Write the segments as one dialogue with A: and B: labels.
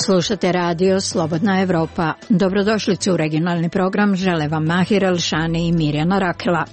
A: Slušate radio Slobodna Evropa. Dobrodošlicu u regionalni program, žele vam Mahir Elšani i Mirjana Rakela.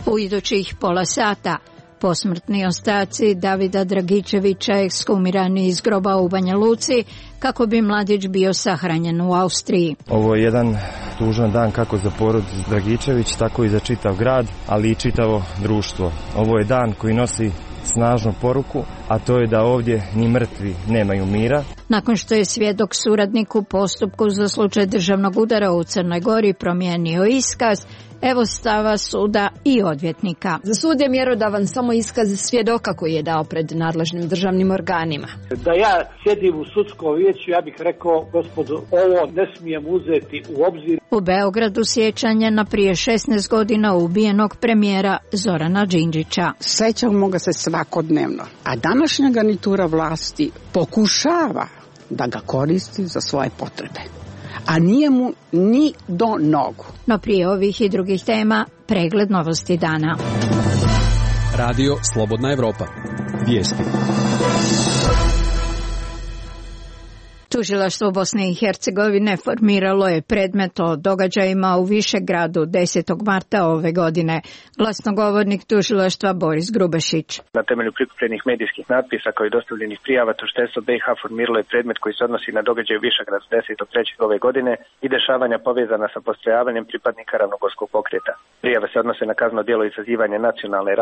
A: U idućih pola sata posmrtni ostaci Davida Dragičevića ekshumirani iz groba u Banja Luci kako bi mladić bio sahranjen u Austriji.
B: Ovo je jedan tužan dan kako za porodicu Dragičević, tako i za čitav grad, ali i čitavo društvo. Ovo je dan koji nosi snažnu poruku, a to je da ovdje ni mrtvi nemaju mira.
A: Nakon što je svjedok suradnik u postupku za slučaj državnog udara u Crnoj Gori promijenio iskaz, evo stava suda i odvjetnika.
C: Za sud je mjerodavan samo iskaz svjedoka koji je dao pred nadležnim državnim organima.
D: Da ja sjedim u sudskom vijeću, ja bih rekao, gospodo, ovo ne smijem uzeti u obzir.
A: U Beogradu sjećanje na prije 16 godina ubijenog premijera Zorana Đinđića.
E: Sećamo ga se svakodnevno, a današnja garnitura vlasti pokušava da ga koristi za svoje potrebe, a nije mu ni do nogu.
A: No prije ovih i drugih tema, pregled novosti dana.
F: Radio Slobodna Evropa. Vijesti.
A: Tužilaštvo Bosne i Hercegovine formiralo je predmet o događajima u Višegradu 10. marta ove godine. Glasnogovornik tužilaštva Boris Grubešić.
G: Na temelju prikupljenih medijskih natpisa kao i dostavljenih prijava tužiteljstvo BiH formiralo je predmet koji se odnosi na događaj u Višegradu 10.3. ove godine i dešavanja povezana sa postrojavanjem pripadnika ravnogorskog pokreta. Prijave se odnose na kazneno djelo izazivanja nacionalne,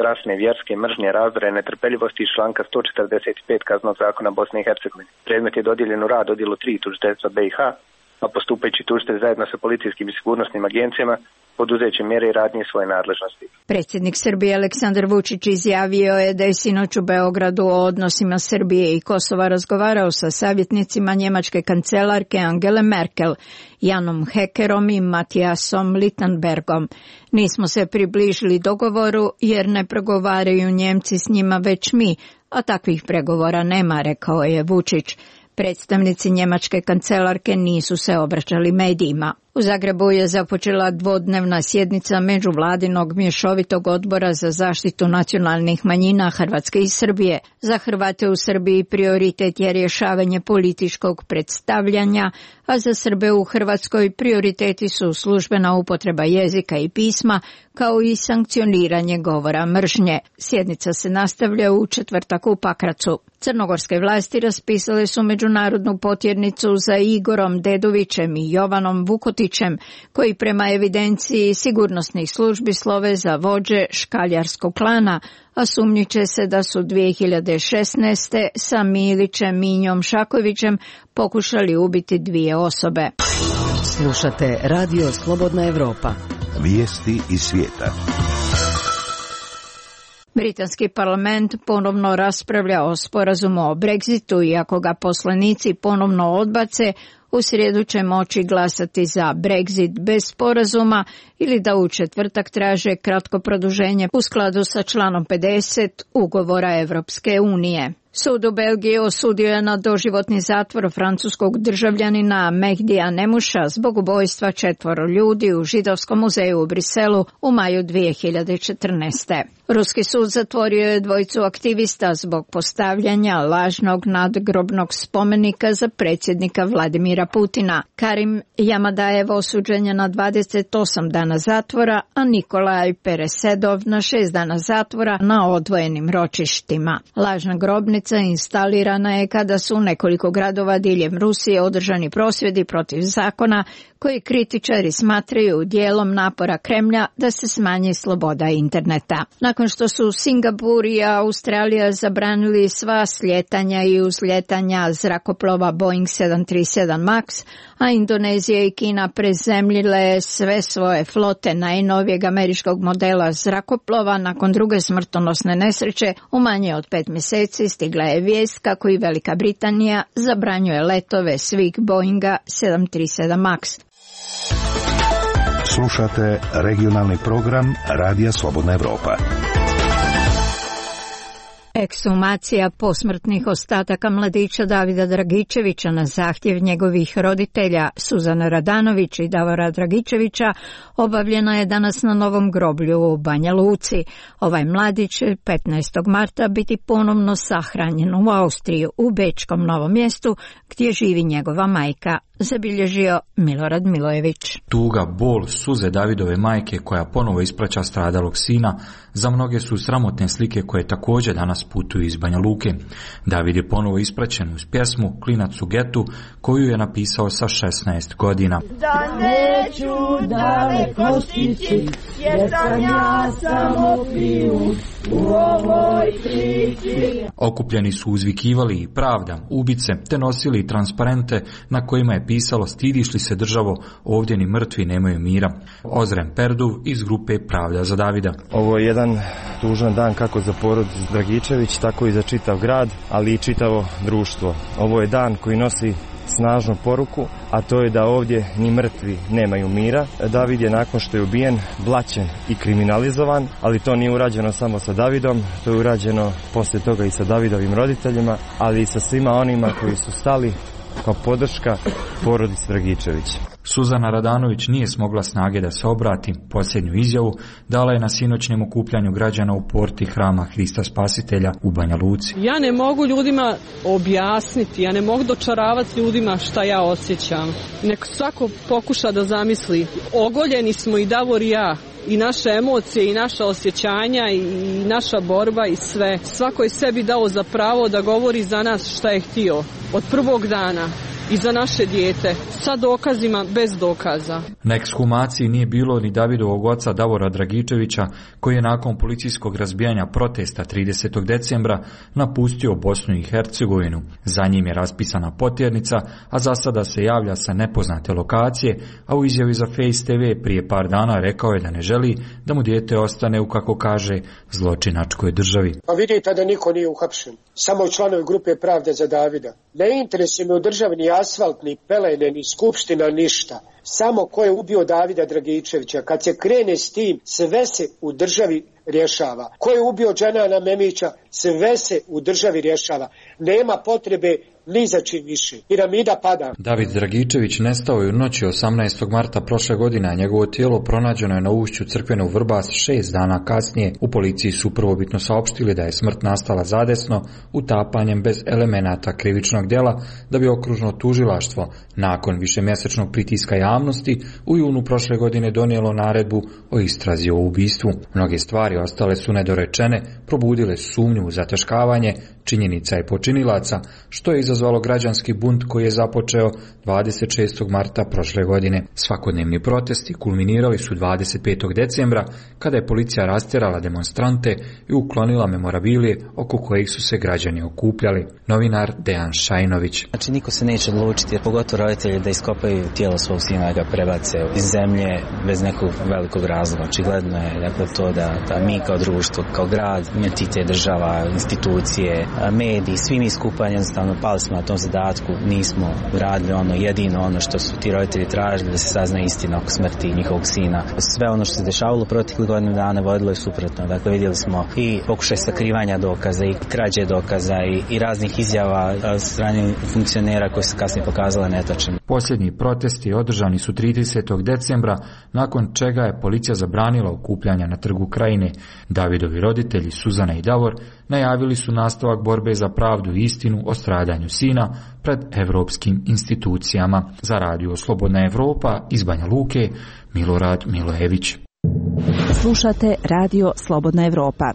G: rasne, vjerske mržnje, razdora i netrpeljivosti iz članka 145 Kaznenog zakona Bosne i Hercegovine. Predmet je dodijeljen u rad odjelu 3 tužiteljstva BiH, a postupajući tužitelj zajedno sa policijskim i sigurnosnim agencijama poduzeće mjere i radnje svoje nadležnosti.
A: Predsjednik Srbije Aleksandar Vučić izjavio je da je sinoć u Beogradu o odnosima Srbije i Kosova razgovarao sa savjetnicima njemačke kancelarke Angele Merkel, Janom Hekerom i Matijasom Littenbergom. Nismo se približili dogovoru jer ne pregovaraju Njemci s njima već mi, a takvih pregovora nema, rekao je Vučić. Predstavnici njemačke kancelarke nisu se obraćali medijima. U Zagrebu je započela dvodnevna sjednica međuvladinog mješovitog odbora za zaštitu nacionalnih manjina Hrvatske i Srbije. Za Hrvate u Srbiji prioritet je rješavanje političkog predstavljanja, a za Srbe u Hrvatskoj prioriteti su službena upotreba jezika i pisma, kao i sankcioniranje govora mržnje. Sjednica se nastavlja u četvrtak u Pakracu. Crnogorske vlasti raspisale su međunarodnu potjernicu za Igorom Dedovićem i Jovanom Vukotićem, koji prema evidenciji sigurnosnih službi slove za vođe škaljarskog klana, a sumnjiče se da su 2016. sa Milićem Minjom Šakovićem pokušali ubiti 2 osobe.
H: Slušate Radio Slobodna Evropa.
I: Vijesti iz svijeta.
A: Britanski parlament ponovno raspravlja o sporazumu o Brexitu i ako ga poslanici ponovno odbace, u srijedu će moći glasati za Brexit bez sporazuma ili da u četvrtak traže kratko produženje u skladu sa članom 50 ugovora Evropske unije. Sud u Belgiji osudio je na doživotni zatvor francuskog državljanina Mehdija Nemuša zbog ubojstva 4 ljudi u Židovskom muzeju u Briselu u maju 2014. Ruski sud zatvorio je 2 aktivista zbog postavljanja lažnog nadgrobnog spomenika za predsjednika Vladimira Putina. Karim Jamadajev osuđen je na 28 dana zatvora, a Nikolaj Peresedov na 6 dana zatvora na odvojenim ročištima. Lažna grobnica instalirana je kada su u nekoliko gradova diljem Rusije održani prosvjedi protiv zakona koji kritičari smatraju dijelom napora Kremlja da se smanji sloboda interneta. Nakon što su Singapur i Australija zabranili sva slijetanja i uzlijetanja zrakoplova Boeing 737 MAX, a Indonezija i Kina prezemljile sve svoje flote najnovijeg američkog modela zrakoplova nakon druge smrtonosne nesreće, u manje od 5 mjeseci stigla je vijest kako i Velika Britanija zabranjuje letove svih Boeinga 737 MAX.
I: Slušate regionalni program Radija Slobodna Evropa.
A: Ekshumacija posmrtnih ostataka mladića Davida Dragičevića na zahtjev njegovih roditelja Suzana Radanović i Davora Dragičevića obavljena je danas na novom groblju u Banja Luci. Ovaj mladić će 15. marta biti ponovno sahranjen u Austriji u Bečkom Novom Mjestu gdje živi njegova majka, zabilježio Milorad Milojević.
J: Tuga, bol, suze Davidove majke koja ponovo ispraća stradalog sina za mnoge su sramotne slike koje također danas putuju iz Banja Luke. David je ponovo ispraćen uz pjesmu Klinac u getu koju je napisao sa 16 godina.
K: Da neću daleko stići, jer sam ja samo piju u ovoj priči.
J: Okupljeni su uzvikivali i pravda, ubice, te nosili transparente na kojima je pisalo stidiš li se državo, ovdje ni mrtvi nemaju mira. Ozren Perduv iz grupe Pravda za Davida.
B: Ovo je jedan tužan dan kako za porodicu Dragičević, tako i za čitav grad, ali i čitavo društvo. Ovo je dan koji nosi snažnu poruku, a to je da ovdje ni mrtvi nemaju mira. David je nakon što je ubijen blaćen i kriminalizovan, ali to nije urađeno samo sa Davidom, to je urađeno poslije toga i sa Davidovim roditeljima, ali i sa svima onima koji su stali kao podrška porodici Dragičević.
J: Suzana Radanović nije smogla snage da se obrati. Posljednju izjavu dala je na sinoćnjem okupljanju građana u porti Hrama Hrista Spasitelja u Banja Luci.
L: Ja ne mogu ljudima objasniti, ja ne mogu dočaravati ljudima šta ja osjećam. Nek svako pokuša da zamisli. Ogoljeni smo i Davor i ja. I naše emocije i naša osjećanja i naša borba i sve. Svako je sebi dao za pravo da govori za nas šta je htio. Od prvog dana. I za naše dijete, sa dokazima, bez dokaza.
J: Na ekshumaciji nije bilo ni Davidovog oca Davora Dragičevića, koji je nakon policijskog razbijanja protesta 30. decembra napustio Bosnu i Hercegovinu. Za njim je raspisana potjernica, a za sada se javlja sa nepoznate lokacije, a u izjavi za Face TV prije par dana rekao je da ne želi da mu dijete ostane u, kako kaže, zločinačkoj državi.
M: Pa vidite da niko nije uhapšen, samo članovi grupe Pravda za Davida. Ne interesuje me u državi ni asfalt, ni pelene, ni skupština, ništa. Samo ko je ubio Davida Dragičevića. Kad se krene s tim, sve se u državi rješava. Ko je ubio Dženana Memića, sve se u državi rješava. Nema potrebe ni za čim više. Piramida pada.
J: David Dragičević nestao je u noći 18. marta prošle godine, a njegovo tijelo pronađeno je na ušću crkvene u Vrbas 6 dana kasnije. U policiji su prvobitno saopštili da je smrt nastala zadesno, utapanjem bez elemenata krivičnog djela, da bi okružno tužilaštvo nakon višemjesečnog pritiska javnosti u junu prošle godine donijelo naredbu o istrazi o ubistvu. Mnoge stvari ostale su nedorečene, probudile su sumnju u zataškavanje činjenica i počinilaca, što je izazvalo građanski bunt koji je započeo 26. marta prošle godine. Svakodnevni protesti kulminirali su 25. decembra, kada je policija rastjerala demonstrante i uklonila memorabilije oko kojih su se građani okupljali. Novinar Dejan Šajnović.
N: Znači niko se neće odlučiti, pogotovo roditelji, da iskopaju tijelo svog sina i ga prebace iz zemlje bez nekog velikog razloga. Očigledno je dakle, to da mi kao društvo, kao grad, entitet, država, institucije, mediji, svi mi skupa jednostavno pali smo na tom zadatku, nismo radili jedino ono što su ti roditelji tražili, da se sazna istina oko smrti njihovog sina. Sve ono što se dešavalo proteklih godinu dana vodilo je suprotno. Dakle, vidjeli smo i pokušaj sakrivanja dokaza i krađe dokaza i raznih izjava od strane funkcionera koje su kasnije pokazale netačne.
J: Posljednji protesti održani su 30. decembra, nakon čega je policija zabranila okupljanja na Trgu Krajine. Davidovi roditelji, Suzana i Davor, najavili su nastavak borbe za pravdu i istinu o stradanju sina pred evropskim institucijama. Za Radio Slobodna Evropa iz Banja Luke, Milorad Milojević.
O: Slušate Radio Slobodna Evropa.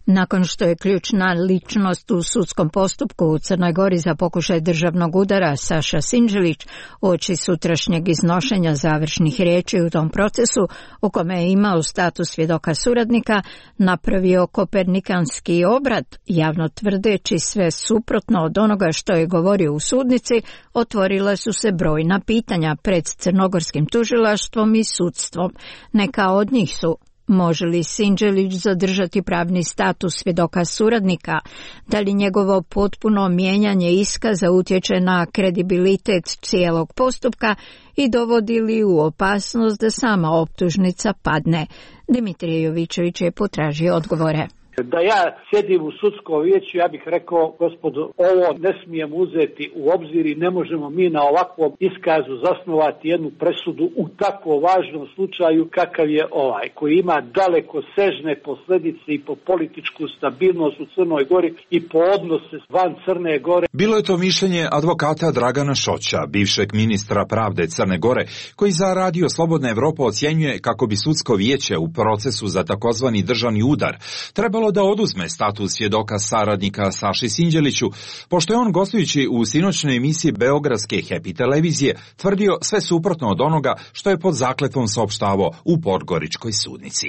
A: Nakon što je ključna ličnost u sudskom postupku u Crnoj Gori za pokušaj državnog udara Saša Sinđelić uoči sutrašnjeg iznošenja završnih riječi u tom procesu, u kome je imao status svjedoka suradnika, napravio kopernikanski obrat, javno tvrdeći sve suprotno od onoga što je govorio u sudnici, otvorila su se brojna pitanja pred crnogorskim tužilaštvom i sudstvom. Neka od njih su: može li Sinđelić zadržati pravni status svjedoka suradnika? Da li njegovo potpuno mijenjanje iskaza utječe na kredibilitet cijelog postupka i dovodi li u opasnost da sama optužnica padne? Dimitrije Jovićević je potražio odgovore.
D: Da ja sjedim u sudskom vijeću, ja bih rekao, gospodo, ovo ne smijemo uzeti u obzir i ne možemo mi na ovakvom iskazu zasnovati jednu presudu u tako važnom slučaju kakav je ovaj, koji ima daleko sežne posljedice i po političku stabilnost u Crnoj Gori i po odnose van Crne Gore.
P: Bilo je to mišljenje advokata Dragana Šoća, bivšeg ministra pravde Crne Gore, koji za Radio Slobodna Evropa ocjenjuje kako bi sudsko vijeće u procesu za takozvani državni udar trebalo da oduzme status svjedoka saradnika Saši Sinđeliću, pošto je on gostujući u sinoćnoj emisiji beogradske Happy televizije tvrdio sve suprotno od onoga što je pod zakletvom saopštavao u podgoričkoj sudnici.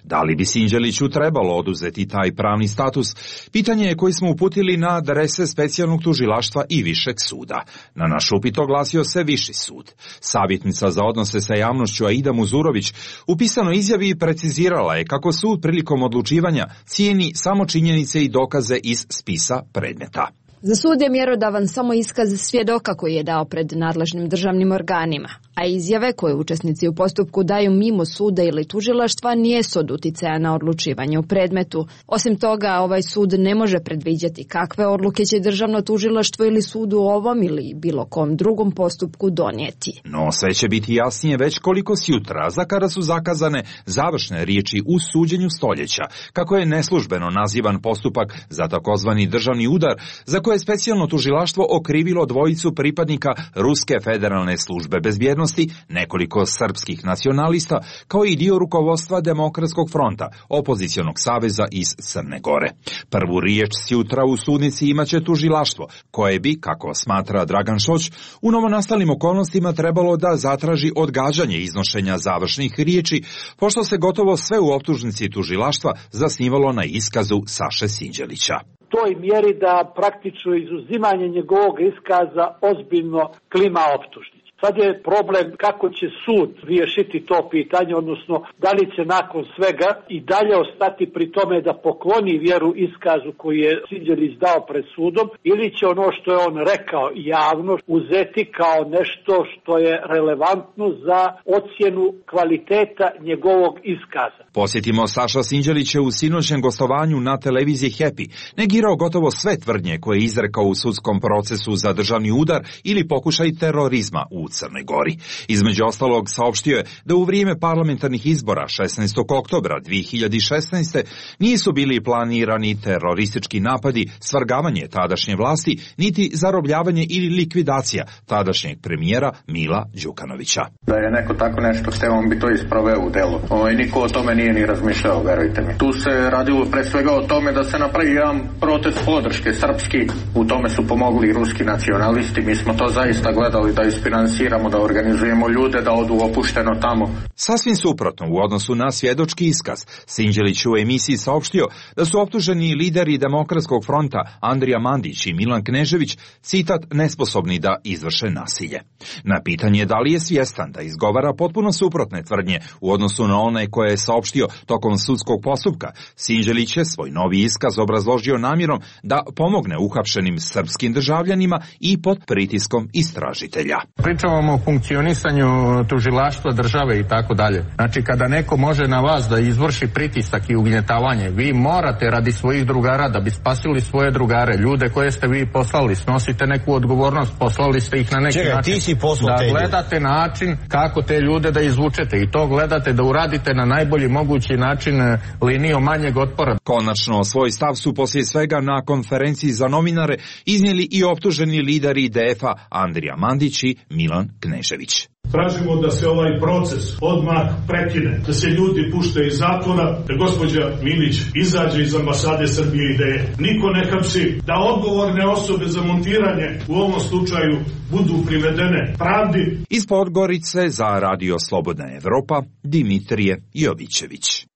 P: Da li bi Sinđeliću trebalo oduzeti taj pravni status? Pitanje je koji smo uputili na adrese specijalnog tužilaštva i višeg suda. Na naš upit oglasio se viši sud. Savjetnica za odnose sa javnošću Aida Muzurović u pisanoj izjavi precizirala je kako sud prilikom odlučivanja cijeni samo činjenice i dokaze iz spisa predmeta.
C: Za sud je mjerodavan samo iskaz svjedoka koji je dao pred nadležnim državnim organima, a izjave koje učesnici u postupku daju mimo suda ili tužilaštva nijesu od uticaja na odlučivanje u predmetu. Osim toga, ovaj sud ne može predviđati kakve odluke će državno tužilaštvo ili sud u ovom ili bilo kom drugom postupku donijeti.
P: No sve će biti jasnije već koliko sjutra, za kada su zakazane završne riječi u suđenju stoljeća, kako je neslužbeno nazivan postupak za takozvani državni udar, za koje je specijalno tužilaštvo okrivilo dvojicu pripadnika Ruske federalne službe bezbjednosti, nekoliko srpskih nacionalista, kao i dio rukovodstva Demokratskog fronta, opozicionog saveza iz Crne Gore. Prvu riječ sjutra u sudnici imaće tužilaštvo, koje bi, kako smatra Dragan Šoć, u novonastalim okolnostima trebalo da zatraži odgađanje iznošenja završnih riječi, pošto se gotovo sve u optužnici tužilaštva zasnivalo na iskazu Saše Sinđelića.
D: Toj mjeri da praktično izuzimanje njegovog iskaza ozbiljno klima optužnici. Sad je problem kako će sud riješiti to pitanje, odnosno da li će nakon svega i dalje ostati pri tome da pokloni vjeru iskazu koji je Sinđelić dao pred sudom, ili će ono što je on rekao javno uzeti kao nešto što je relevantno za ocjenu kvaliteta njegovog iskaza.
P: Posjetimo, Saša Sinđelić je u sinoćnjem gostovanju na televiziji Happy negirao gotovo sve tvrdnje koje je izrekao u sudskom procesu za državni udar ili pokušaj terorizma u Crnoj Gori. Između ostalog saopštio je da u vrijeme parlamentarnih izbora 16. oktobra 2016. nisu bili planirani teroristički napadi, svrgavanje tadašnje vlasti, niti zarobljavanje ili likvidacija tadašnjeg premijera Mila Đukanovića.
Q: Da je neko tako nešto hteo, on bi to isproveo u delu. Niko o tome nije ni razmišljao, verujte mi. Tu se radilo pre svega o tome da se napravi jedan protest podrške srpski. U tome su pomogli ruski nacionalisti. Mi smo to zaista gledali da isfinansiramo, da organizujemo ljude da odu opušteno tamo.
P: Sasvim suprotno u odnosu na svjedočki iskaz, Sinđelić u emisiji saopštio da su optuženi lideri Demokratskog fronta Andrija Mandić i Milan Knežević, citat, nesposobni da izvrše nasilje. Na pitanje da li je svjestan da izgovara potpuno suprotne tvrdnje u odnosu na one koje je saopštio tokom sudskog postupka, Sinđelić je svoj novi iskaz obrazložio namjerom da pomogne uhapšenim srpskim državljanima i pod pritiskom istražitelja.
Q: Pričamo o funkcionisanju tužilaštva države i tako dalje. Znači, kada neko može na vas da izvrši pritisak i ugnjetavanje, vi morate radi svojih drugara, da bi spasili svoje drugare, ljude koje ste vi poslali, snosite neku odgovornost, poslali ste ih na neki način.
R: Ti si poslao
Q: da gledate način kako te ljude da izvučete i to gledate da uradite na najbolji mogući način linijom manjeg otpora.
P: Konačno, svoj stav su poslije svega na konferenciji za novinare iznijeli i optuženi lideri IDF-a Andrija Mandić i Milan Knežević.
S: Tražimo da se ovaj proces odmah prekine, da se ljudi pušte iz zatvora, da gospođa Milić izađe iz ambasade Srbije i da je niko ne hapsi, da odgovorne osobe za montiranje u ovom slučaju budu privedene pravdi.
P: Iz Podgorice za Radio Slobodna Evropa, Dimitrije Jovićević.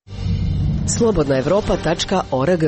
H: slobodnaevropa.org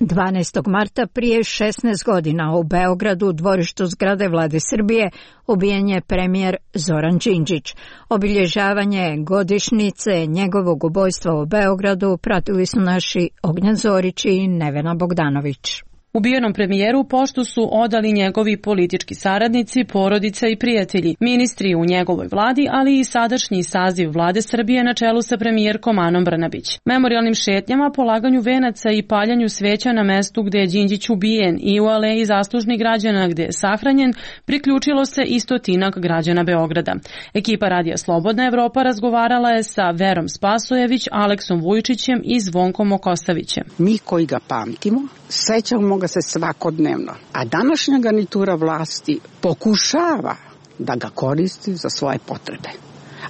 A: 12. marta prije 16 godina u Beogradu u dvorištu zgrade Vlade Srbije ubijen je premijer Zoran Đinđić. Obilježavanje godišnjice njegovog ubojstva u Beogradu pratili su naši Ognjen Zorić i Nevena Bogdanović.
R: Ubijenom premijeru poštu su odali njegovi politički saradnici, porodica i prijatelji, ministri u njegovoj vladi, ali i sadašnji saziv vlade Srbije na čelu sa premijerkom Anom Brnabić. Memorijalnim šetnjama, polaganju venaca i paljanju sveća na mestu gde je Đinđić ubijen i u aleji zaslužnih građana gde je sahranjen, priključilo se i stotinak građana Beograda. Ekipa Radija Slobodna Evropa razgovarala je sa Verom Spasojević, Aleksom Vujčićem i Zvonkom Okosavićem.
E: Mi koji ga pamtimo, sećamo ga se svakodnevno, a današnja garnitura vlasti pokušava da ga koristi za svoje potrebe,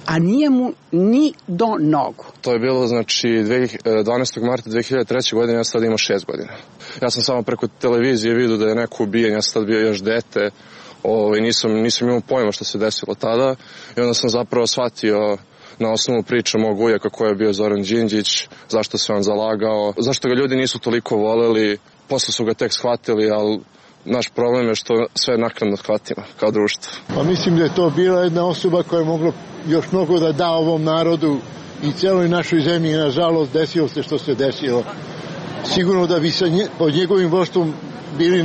E: a nije mu ni do nogu.
T: To je bilo, znači, 12. marta 2003. godine, ja sad imao 6 godina. Ja sam samo preko televizije vidio da je neko ubijen, ja sam tad bio još dete, nisam imao pojma što se desilo tada i onda sam zapravo shvatio na osnovu priče mog ujaka ko je bio Zoran Đinđić, zašto se on zalagao, zašto ga ljudi nisu toliko voleli, posle su ga tek shvatili, ali naš problem je što sve naknadno shvatimo kao društvo.
U: Pa mislim da je to bila jedna osoba koja je mogla još mnogo da da ovom narodu i celoj našoj zemlji. Nažalost, desilo se što se desilo. Sigurno da bi pod njegovim vođstvom bili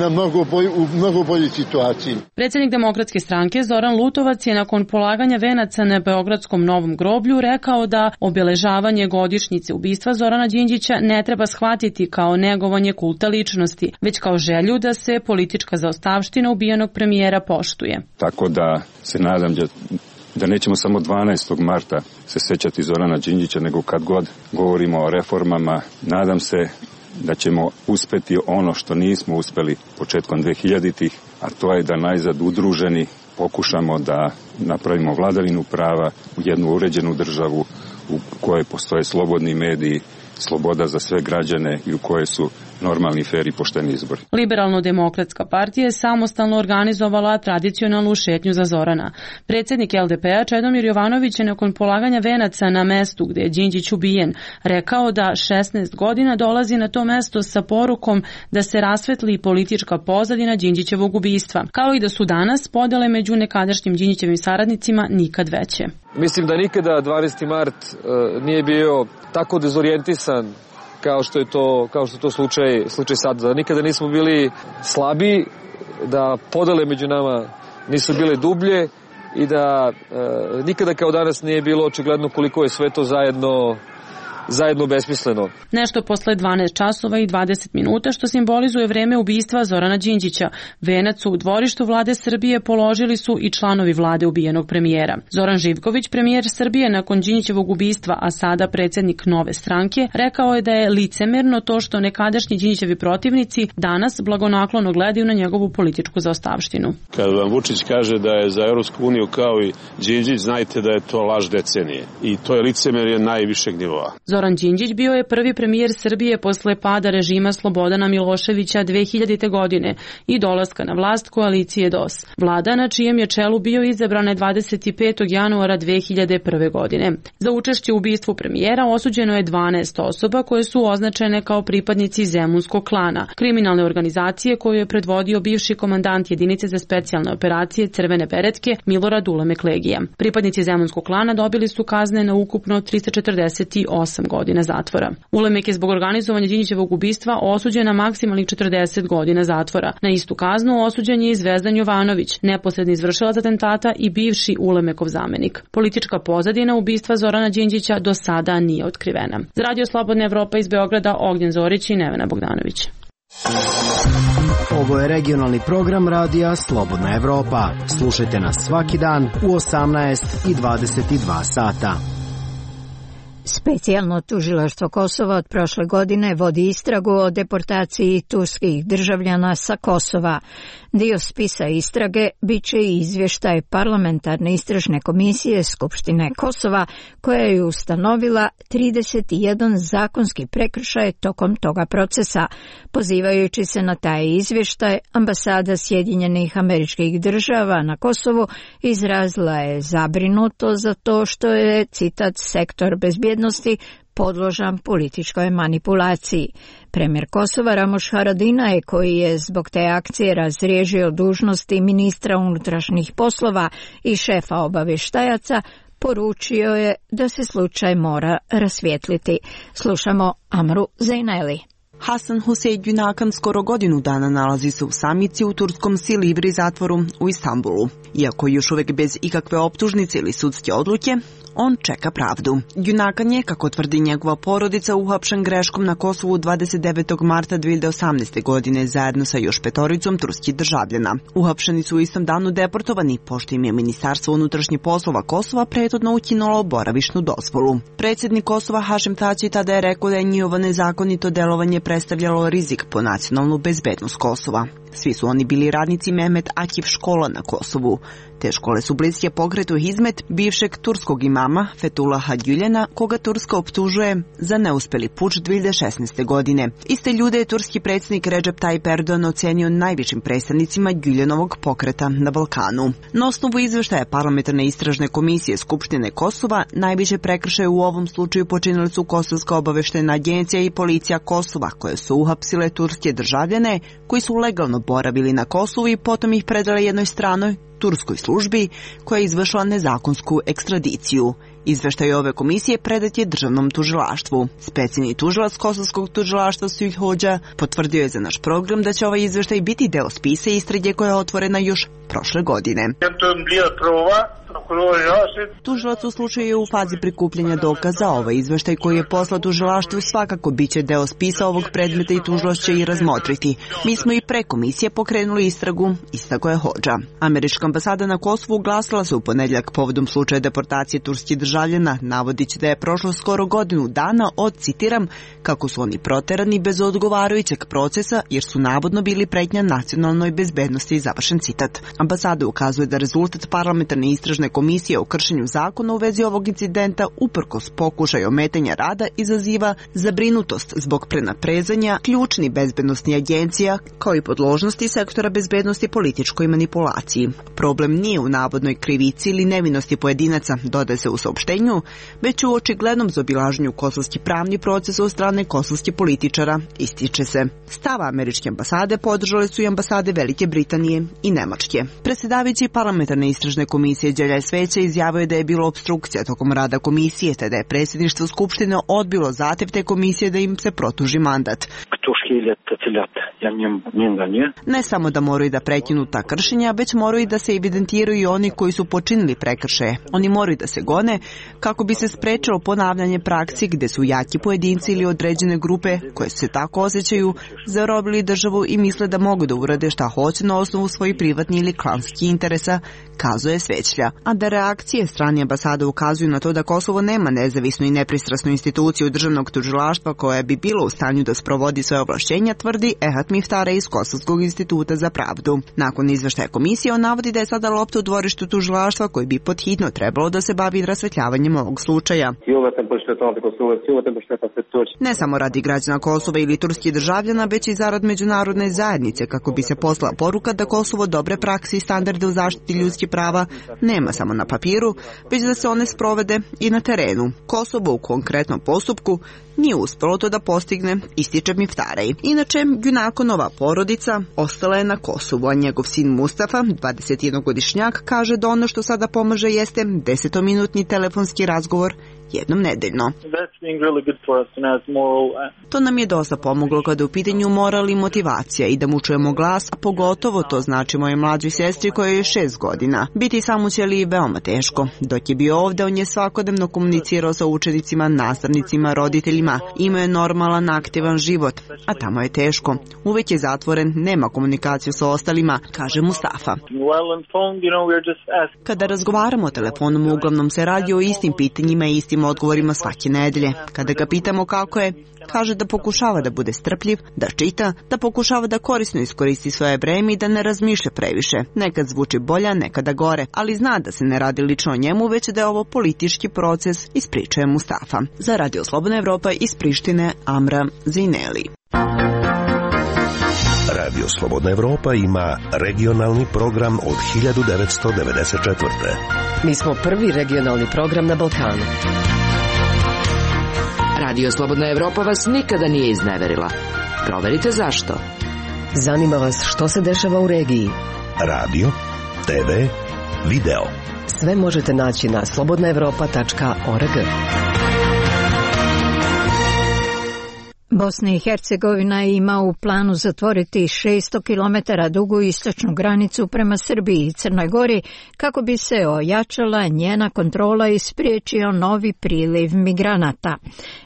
U: u mnogo boljoj situaciji.
R: Predsjednik Demokratske stranke Zoran Lutovac je nakon polaganja venaca na Beogradskom Novom groblju rekao da obeležavanje godišnjice ubistva Zorana Đinđića ne treba shvatiti kao negovanje kulta ličnosti, već kao želju da se politička zaostavština ubijenog premijera poštuje.
V: Tako da se nadam da nećemo samo 12. marta se sećati Zorana Đinđića, nego kad god govorimo o reformama, nadam se da ćemo uspeti ono što nismo uspeli početkom 2000-ih, a to je da najzad udruženi pokušamo da napravimo vladavinu prava u jednu uređenu državu u kojoj postoje slobodni mediji, sloboda za sve građane i u kojoj su normalni, fer i pošteni izbori.
R: Liberalno-demokratska partija je samostalno organizovala tradicionalnu šetnju za Zorana. Predsjednik LDP-a Čedomir Jovanović je nakon polaganja venaca na mestu gde je Đinđić ubijen rekao da 16 godina dolazi na to mesto sa porukom da se rasvetli politička pozadina Đinđićevog ubistva, kao i da su danas podele među nekadašnjim Đinđićevim saradnicima nikad veće.
W: Mislim da nikada 12. mart nije bio tako dezorijentisan kao što je to slučaj sad. Da nikada nismo bili slabi, da podele među nama nisu bile dublje i da nikada kao danas nije bilo očigledno koliko je sve to zajedno besmisleno.
R: Nešto posle 12 časova i 20 minuta, što simbolizuje vreme ubistva Zorana Đinđića. Venac u dvorištu vlade Srbije položili su i članovi vlade ubijenog premijera. Zoran Živković, premijer Srbije nakon Đinđićevog ubistva, a sada predsjednik Nove stranke, rekao je da je licemerno to što nekadašnji Đinđićevi protivnici danas blagonaklono gledaju na njegovu političku zaostavštinu.
X: Kad vam Vučić kaže da je za Europsku uniju kao i Đinđić, znajte da je to laž decenije. I to je licemerje najvišeg nivoa.
R: Zoran Đinđić bio je prvi premijer Srbije posle pada režima Slobodana Miloševića 2000. godine i dolaska na vlast koalicije DOS. Vlada na čijem je čelu bio izabrana 25. januara 2001. godine. Za učešće u ubistvu premijera osuđeno je 12 osoba koje su označene kao pripadnici Zemunskog klana, kriminalne organizacije koju je predvodio bivši komandant jedinice za specijalne operacije Crvene beretke Milorad Ulemek Legija. Pripadnici Zemunskog klana dobili su kazne na ukupno 348 godina zatvora. Ulemek je zbog organizovanja Đinđićevog ubistva osuđen na maksimalnih 40 godina zatvora. Na istu kaznu osuđen je i Zvezdan Jovanović, neposredni izvršilac atentata i bivši Ulemekov zamenik. Politička pozadina ubistva Zorana Đinđića do sada nije otkrivena. Za Radio Slobodna Evropa iz Beograda, Ognjen Zorić i Nevena Bogdanović.
Y: Ovo je regionalni program Radija Slobodna Evropa. Slušajte nas svaki dan u 18 i 22 sata.
A: Specijalno tužilaštvo Kosova od prošle godine vodi istragu o deportaciji turskih državljana sa Kosova. Dio spisa istrage bit će i izvještaj parlamentarne istražne komisije Skupštine Kosova, koja je ustanovila 31 zakonski prekršaj tokom toga procesa. Pozivajući se na taj izvještaj, ambasada Sjedinjenih Američkih Država na Kosovu izrazila je zabrinuto za to što je, citat, sektor bezbjednosti podložan političkoj manipulaciji. Premijer Kosova Ramoš Haradinaj, koji je zbog te akcije razriješio dužnosti ministra unutrašnjih poslova i šefa obavještajaca, poručio je da se slučaj mora rasvijetliti. Slušamo Amru Zejneli.
B: Hasan Husein Günakan skoro godinu dana nalazi se u samici u turskom Silivri zatvoru u Istanbulu. Iako još uvek bez ikakve optužnice ili sudske odluke, on čeka pravdu. Günakan je, kako tvrdi njegova porodica, uhapšen greškom na Kosovu 29. marta 2018. godine zajedno sa još 5 turskih državljana. Uhapšeni su u istom danu deportovani, pošto im je Ministarstvo unutrašnjih poslova Kosova prethodno ukinulo boravišnu dozvolu. Predsjednik Kosova Hašim Tači tada je rekao da je njihovo nezakonito delovanje predstavljalo rizik po nacionalnu bezbednost Kosova. Svi su oni bili radnici Mehmet Akif škola na Kosovu. Te škole su bliske pokretu Hizmet bivšeg turskog imama Fethullaha Gülen'a, koga Turska optužuje za neuspeli puč 2016. godine. Iste ljude je turski predsjednik Recep Tayyip Erdogan ocenio najvišim predstavnicima Gülenovog pokreta na Balkanu. Na osnovu izveštaja Parlamentarne istražne komisije Skupštine Kosova, najviše prekršaje u ovom slučaju počinili su Kosovska obaveštena agencija i policija Kosova, koje su uhapsile turske državljane koji su legalno boravili na Kosovu i potom ih predale jednoj stranoj turskoj službi koja je izvršila nezakonsku ekstradiciju. Izveštaj ove komisije predat je državnom tužilaštvu. Specijalni tužilac Kosovskog tužilaštva Sujh Hođa potvrdio je za naš program da će ovaj izveštaj biti deo spisa istrage koja je otvorena još prošle godine. Tužilac u slučaju je u fazi prikupljanja dokaza. Ovaj izveštaj koji je poslat tužilaštvu svakako biće deo spisa ovog predmeta i tužilac će i razmotriti. Mi smo i pre komisije pokrenuli istragu, istakao je Hođa. Američka ambasada na Kosovu glasila se u ponedjeljak povodom slučaja deportacije turskih državljana, navodići da je prošlo skoro godinu dana od, citiram, kako su oni proterani bez odgovarajućeg procesa jer su navodno bili pretnja nacionalnoj bezbednosti, završen citat. Ambasada ukazuje da rezultat parlamentarne istražne komisije o kršenju zakona u vezi ovog incidenta uprkos pokušaju ometanja rada izaziva zabrinutost zbog prenaprezanja ključnih bezbednostnih agencija kao i podložnosti sektora bezbednosti političkoj manipulaciji. Problem nije u navodnoj krivici ili nevinosti pojedinaca, dodaje se u saopštenju, već u očiglednom zaobilaženju kosovski pravni proces od strane kosovskih političara, ističe se. Stav američke ambasade podržale su i ambasade Velike Britanije i Nemačke. Predsjedavajući parlamentarne istražne komisije Đelja Sveća izjavio je da je bilo obstrukcija tokom rada komisije, te da je predsjedništvo Skupštine odbilo zahtev te komisije da im se produži mandat. Ne samo da moraju da prekinu ta kršenja, već moraju da se evidentiraju i oni koji su počinili prekršaje. Oni moraju da se gone kako bi se sprečilo ponavljanje praksi gde su jaki pojedinci ili određene grupe koje se tako osjećaju zarobili državu i misle da mogu da urade šta hoće na osnovu svojih privatnih ili klanskih interesa, kazuje Svećlja. A da reakcije strane ambasade ukazuju na to da Kosovo nema nezavisnu i nepristrasnu instituciju državnog tužilaštva koja bi bila u stanju da sprovodi svoje ovlašćenja, tvrdi Ehat Miftare iz Kosovskog instituta za pravdu. Nakon izveštaja komisije on navodi da je sada lopta u dvorištu tužilaštva koji bi podhitno trebalo da se bavi rasvetljavanjem ovog slučaja. Ne samo radi građana Kosova ili turskih državljana, već i zarad međunarodne zajednice kako bi se poslala poruka da Kosovo dobre prakse i standarde u zaštiti ljudskih prava nema samo na papiru, već da se one sprovede i na terenu. Kosovo u konkretnom postupku nije uspelo to da postigne, ističe Miftarej. Inače, Günakonova porodica ostala je na Kosovu, a njegov sin Mustafa, 21-godišnjak, kaže da ono što sada pomaže jeste 10-minutni telefonski razgovor jednom nedeljno. To nam je dosta pomoglo kada je u pitanju moral i motivacija i da mu čujemo glas, a pogotovo to znači moje mlađoj sestri koja je 6 godina. Biti samoćeli je veoma teško. Dok je bio ovde, on je svakodnevno komunicirao sa učenicima, nastavnicima, roditeljima. Imao je normalan, aktivan život, a tamo je teško. Uvek je zatvoren, nema komunikaciju sa ostalima, kaže Mustafa. Kada razgovaramo telefonom, uglavnom se radi o istim pitanjima i istim odgovorima svake nedelje. Kada ga pitamo kako je, kaže da pokušava da bude strpljiv, da čita, da pokušava da korisno iskoristi svoje vreme i da ne razmišlja previše. Nekad zvuči bolja, nekada gore, ali zna da se ne radi lično o njemu, već da je ovo politički proces, ispričuje Mustafa. Za Radio Slobodna Evropa iz Prištine, Amra Zineli.
F: Radio Slobodna Evropa ima regionalni program od 1994.
H: Mi smo prvi regionalni program na Balkanu.
G: Radio Slobodna Evropa vas nikada nije izneverila. Proverite zašto.
H: Zanima vas što se dešava u regiji.
F: Radio, TV, video.
H: Sve možete naći na slobodnaevropa.org.
A: Bosna i Hercegovina ima u planu zatvoriti 600 km dugu istočnu granicu prema Srbiji i Crnoj Gori kako bi se ojačala njena kontrola i spriječio novi priliv migranata.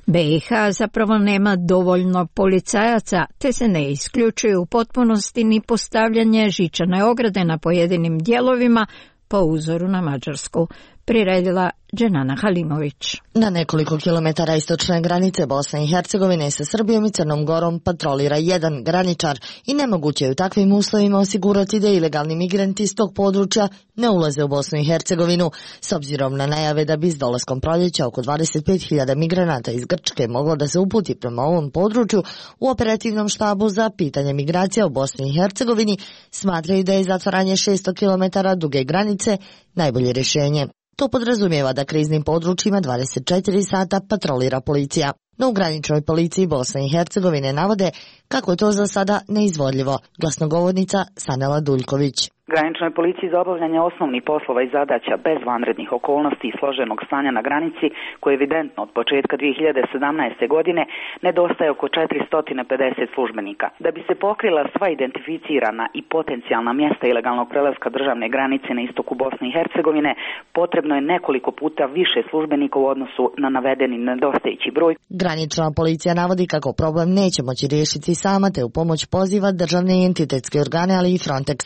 A: BiH zapravo nema dovoljno policajaca, te se ne isključuje u potpunosti ni postavljanje žičane ograde na pojedinim dijelovima po uzoru na Mađarsku. Priredila Dženana Halimović.
I: Na nekoliko kilometara istočne granice Bosne i Hercegovine sa Srbijom i Crnom Gorom patrolira jedan graničar i nemoguće je u takvim uslovima osigurati da ilegalni migranti iz tog područja ne ulaze u Bosnu i Hercegovinu, s obzirom na najave da bi s dolaskom proljeća oko 25.000 migranata iz Grčke moglo da se uputi prema ovom području. U operativnom štabu za pitanje migracija u Bosni i Hercegovini smatraju da je zatvaranje 600 km duge granice najbolje rješenje. To podrazumijeva da kriznim područjima 24 sata patrolira policija. No u graničnoj policiji Bosne i Hercegovine navode kako je to za sada neizvodljivo. Glasnogovornica Sanela Duljković.
K: Graničnoj policiji za obavljanje osnovnih poslova i zadaća bez vanrednih okolnosti i složenog stanja na granici, koje je evidentno od početka 2017. godine, nedostaje oko 450 službenika. Da bi se pokrila sva identificirana i potencijalna mjesta ilegalnog prelaska državne granice na istoku Bosne i Hercegovine, potrebno je nekoliko puta više službenika u odnosu na navedeni nedostajući broj.
I: Granična policija navodi kako problem neće moći riješiti sama, te u pomoć poziva državne i entitetske organe, ali i Frontex.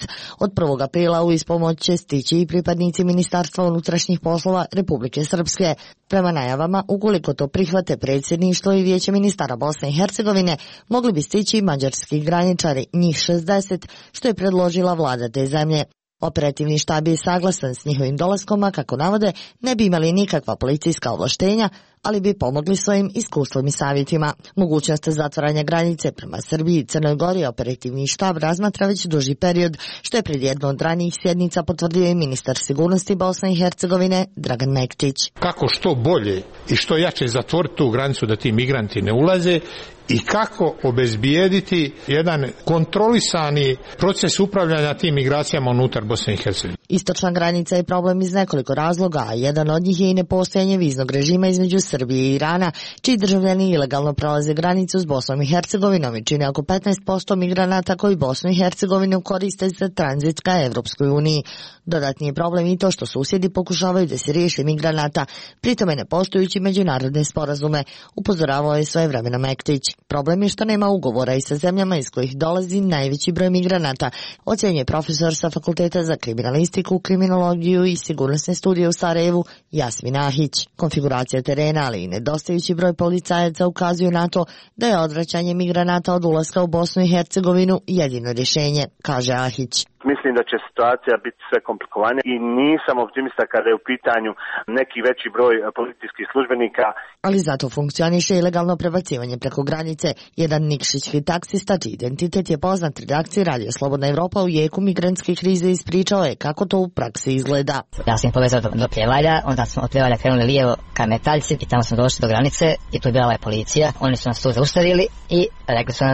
I: Od 1. aprila u ispomoć će stići i pripadnici Ministarstva unutrašnjih poslova Republike Srpske. Prema najavama, ukoliko to prihvate predsjedništvo i vijeće ministara Bosne i Hercegovine, mogli bi stići i mađarski graničari, njih 60, što je predložila vlada te zemlje. Operativni štab je saglasan s njihovim dolaskom, a kako navode, ne bi imali nikakva policijska ovlaštenja, ali bi pomogli svojim iskustvom i savjetima. Mogućnost zatvaranja granice prema Srbiji i Crnoj Gori operativni štab razmatra već duži period, što je pred jednom od ranijih sjednica potvrdio i ministar sigurnosti Bosne i Hercegovine Dragan Mektić.
L: Kako što bolje i što jače zatvoriti tu granicu da ti migranti ne ulaze i kako obezbijediti jedan kontrolisani proces upravljanja tim migracijama unutar Bosne i Hercegovine.
I: Istočna granica je problem iz nekoliko razloga, a jedan od njih je i nepostojanje viznog režima između Srbije i Irana, čiji državljani ilegalno prelaze granicu s Bosnom i Hercegovinom i čine oko 15% migranata koji Bosnu i Hercegovinu koriste za tranzit ka Evropskoj uniji. Dodatni je problem i to što susjedi pokušavaju da se riješe migranata, pritome ne poštujući međunarodne sporazume, upozoravao je svojevremeno Mektić. Problem je što nema ugovora i sa zemljama iz kojih dolazi najveći broj migranata, ocjenjuje profesor sa Fakulteta za kriminalistiku, kriminologiju i sigurnosne studije u Sarajevu Jasmin Ahić. Konfiguracija terena, ali i nedostajući broj policajaca ukazuju na to da je odvraćanje migranata od ulaska u Bosnu i Hercegovinu jedino rješenje, kaže Ahić.
M: Mislim da će situacija biti sve komplikovanija i nisam optimista kada je u pitanju neki veći broj policijskih službenika.
I: Ali zato funkcioniše ilegalno prebacivanje preko granice. Jedan nikšićki taksista, čiji identitet je poznat redakciji Radio Slobodna Evropa u jeku migrantske krize, ispričao je kako to u praksi izgleda.
N: Ja sam povezao do Pljevalja, onda smo od Pljevalja krenuli lijevo ka Metaljci i tamo smo došli do granice i tu je bila policija. Oni su nas tu zaustavili i rekli su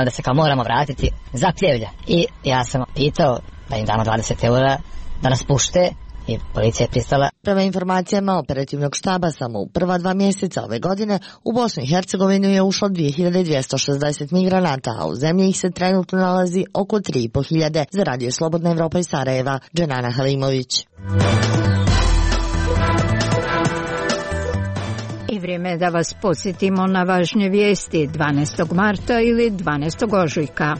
N: da se kao moramo vratiti za Pljevlja. I ja sam pitao da im damo 20 € da nas pušte i policija je pristala.
I: Prema informacijama operativnog štaba, samo u prva 2 mjeseca ove godine u Bosnu i Hercegovinu je ušlo 2260 migranata, a u zemlji ih se trenutno nalazi oko 3500. Za Radio Slobodna Evropa iz Sarajeva, Dženana Halimović.
A: I vrijeme je da vas podsjetimo na važnje vijesti 12. marta ili 12. ožujka.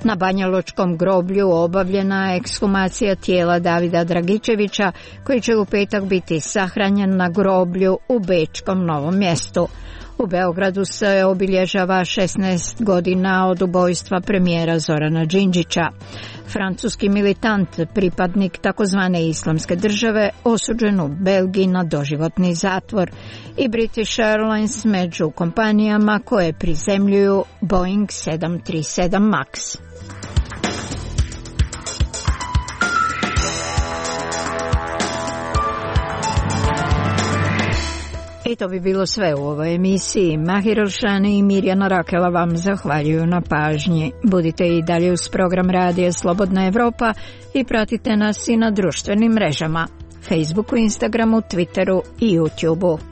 A: Na Banjalučkom groblju obavljena ekshumacija tijela Davida Dragičevića, koji će u petak biti sahranjen na groblju u Bečkom Novom Mjestu. U Beogradu se obilježava 16 godina od ubojstva premijera Zorana Đinđića. Francuski militant, pripadnik takozvane islamske države, osuđen u Belgiji na doživotni zatvor. I British Airlines među kompanijama koje prizemljuju Boeing 737 MAX. I to bi bilo sve u ovoj emisiji. Mahir Elšani i Mirjana Rakela vam zahvaljuju na pažnji. Budite i dalje uz program Radija Slobodna Evropa i pratite nas i na društvenim mrežama, Facebooku, Instagramu, Twitteru i YouTubeu.